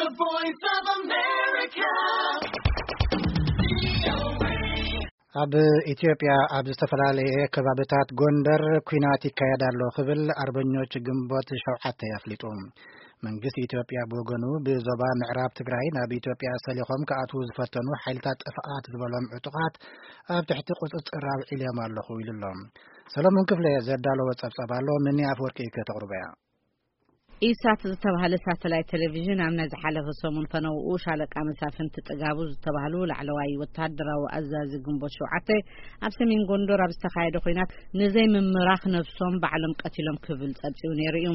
The Voice of America. ኣብ ኢትዮጵያ ኣብ ዝተፈላለየ ከባብታት ጎንደር ኲናት ይካየድ ኣሎ ክብል ኣርበኞች ግንቦት ሸውዓተ ኣፍሊጡ። መንግስቲ ኢትዮጵያ ብወገኑ ብዞባ ምዕራብ ትግራይ ናብ ኢትዮጵያ ሰሊኾም ክኣትዉ ዝፈተኑ ሓይልታት ጥፍኣት ዝበሎም ዕጡቓት ኣብ ትሕቲ ቁፅፅር ኣውዒልዮም ኣለኹ ኢሉ ኣሎ። ሰለሞን ክፍለ ዘዳለዎ ጸብጻብ ኣሎ፣ ምኒ ኣፍወርቂ ከተቕርቦ እያ። ኢሳት ዝተባህለ ሳተላይት ቴሌቪዥን ኣብ ናይ ዝሓለፈ ሰሙን ፈነውኡ ሻለቃ መሳፍንቲ ጥጋቡ ዝተባህሉ ላዕለዋይ ወተሃደራዊ ኣዛዚ ግንቦት ሸውዓተ ኣብ ሰሜን ጎንደር ኣብ ዝተኻየደ ኲናት ንዘይምምራኽ ነብሶም ባዕሎም ቀቲሎም ክብል ጸብጺቡ ነይሩ እዩ።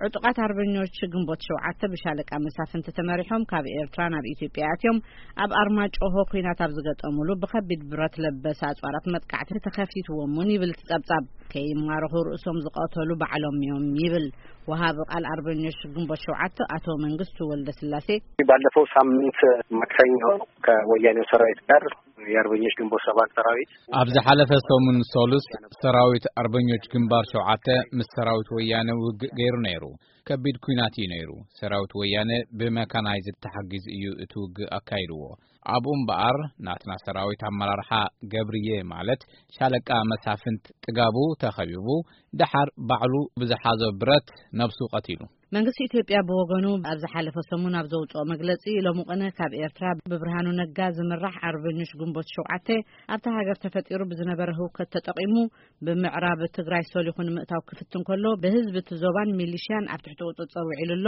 ዕጡቓት ኣርበኞች ግንቦት ሸውዓተ ብሻለቃ መሳፍንቲ ተመሪሖም ካብ ኤርትራ ናብ ኢትዮጵያ ኣትዮም ኣብ ኣርማጭሆ ኲናት ኣብ ዝገጠሙሉ ብኸቢድ ብረት ለበስ ኣጽዋራት መጥቃዕቲ ተኸፊትዎም እውን ይብል እቲ ጸብጻብ። ከይማረኹ ርእሶም ዝቐተሉ ባዕሎም እዮም ይብል ወሃቢ ቃል ኣርበኞች ግንቦት ሸውዓተ ኣቶ መንግስቱ ወልደ ስላሴ። ባለፈው ሳምንት ማክሰኞ ከወያኔው ሰራዊት ጋር የአርበኞች ግንቦት ሰባት ሰራዊት ኣብ ዝሓለፈ ሰሙን ሶሉስ ሰራዊት ኣርበኞች ግንባር ሸውዓተ ምስ ሰራዊት ወያነ ውግእ ገይሩ ነይሩ። ከቢድ ኲናት እዩ ነይሩ። ሰራዊት ወያነ ብመካናይዝድ ተሓጊዙ እዩ እቲ ውግእ ኣካይድዎ። ኣብኡ እምበኣር ናትና ሰራዊት ኣመራርሓ ገብርዬ ማለት ሻለቃ መሳፍንት ጥጋቡ ተኸቢቡ፣ ደሓር ባዕሉ ብዝሓዞ ብረት ነብሱ ቀቲሉ። መንግስቲ ኢትዮጵያ ብወገኑ ኣብ ዝሓለፈ ሰሙን ኣብ ዘውፅኦ መግለፂ፣ ሎሚ ቅነ ካብ ኤርትራ ብብርሃኑ ነጋ ዝምራሕ ኣርበኞች ግንቦት ሸውዓተ ኣብታ ሃገር ተፈጢሩ ብዝነበረ ህውከት ተጠቒሙ ብምዕራብ ትግራይ ሰሊኹ ንምእታው ክፍትን ከሎ ብህዝቢ እቲ ዞባን ሚሊሽያን ኣብ ትሕቲ ቁፅፅር ውዒሉ ኣሎ።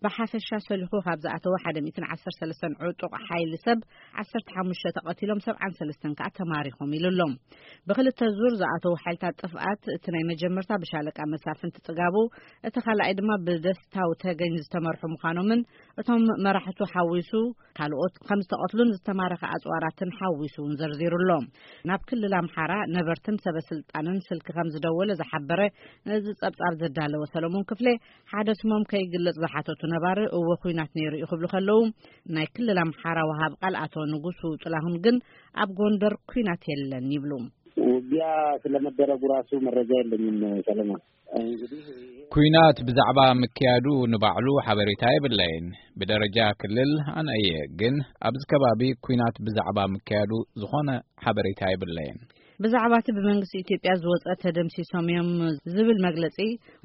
ብሓፈሻ ሰሊኹ ካብ ዝኣተወ ሓደ ሚእትን ዓሰርተ ሰለስተን ዕጡቕ ሓይሊ ሰብ ዓሰርተ ሓሙሽተ ተቐቲሎም ሰብዓን ሰለስተን ከኣ ተማሪኾም ኢሉ ኣሎ። ብክልተ ዙር ዝኣተዉ ሓይልታት ጥፍኣት እቲ ናይ መጀመርታ ብሻለቃ መሳፍንቲ ጽጋቡ፣ እቲ ካልኣይ ድማ ብደስታው ተገኝ ዝተመርሑ ምዃኖምን እቶም መራሕቱ ሓዊሱ ካልኦት ከም ዝተቐትሉን ዝተማረኸ ኣጽዋራትን ሓዊሱ እውን ዘርዚሩ ኣሎ። ናብ ክልል ኣምሓራ ነበርትን ሰበ ስልጣንን ስልኪ ከም ዝደወለ ዝሓበረ ነዚ ጸብጻብ ዘዳለወ ሰለሞን ክፍሌ ሓደ ስሞም ከይግለጽ ዝሓተቱ ነባሪ እወ ኲናት ነይሩ እዩ ክብሉ ከለዉ፣ ናይ ክልል ኣምሓራ ወሃብ ቃል ኣቶ ንጉሱ ጥላሁን ግን ኣብ ጎንደር ኲናት የለን ይብሉ። ውጊያ ስለመደረጉ ራሱ መረጃ የለኝም ሰለሞን። እንግዲህ ኲናት ብዛዕባ ምክያዱ ንባዕሉ ሓበሬታ የብለይን። ብደረጃ ክልል ኣነ እየ፣ ግን ኣብዚ ከባቢ ኲናት ብዛዕባ ምክያዱ ዝኾነ ሓበሬታ የብለይን። ብዛዕባ እቲ ብመንግስቲ ኢትዮጵያ ዝወፀ ተደምሲሶም እዮም ዝብል መግለፂ፣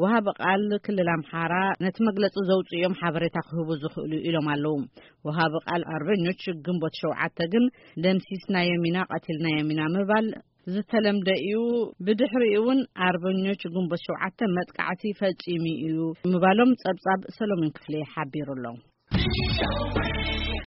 ወሃቢ ቃል ክልል ኣምሓራ ነቲ መግለፂ ዘውፅኡ እዮም ሓበሬታ ክህቡ ዝኽእሉ ኢሎም ኣለዉ። ወሃቢ ቃል ኣርበኞች ግንቦት ሸውዓተ ግን ደምሲስናዮም ኢና፣ ቀቲልናዮም ኢና ምባል ዝተለምደ እዩ። ብድሕሪኡ እውን ኣርበኞች ግንቦት ሸውዓተ መጥቃዕቲ ፈፂሙ እዩ ምባሎም ፀብፃብ ሰሎሞን ክፍሌ ሓቢሩ ኣሎ።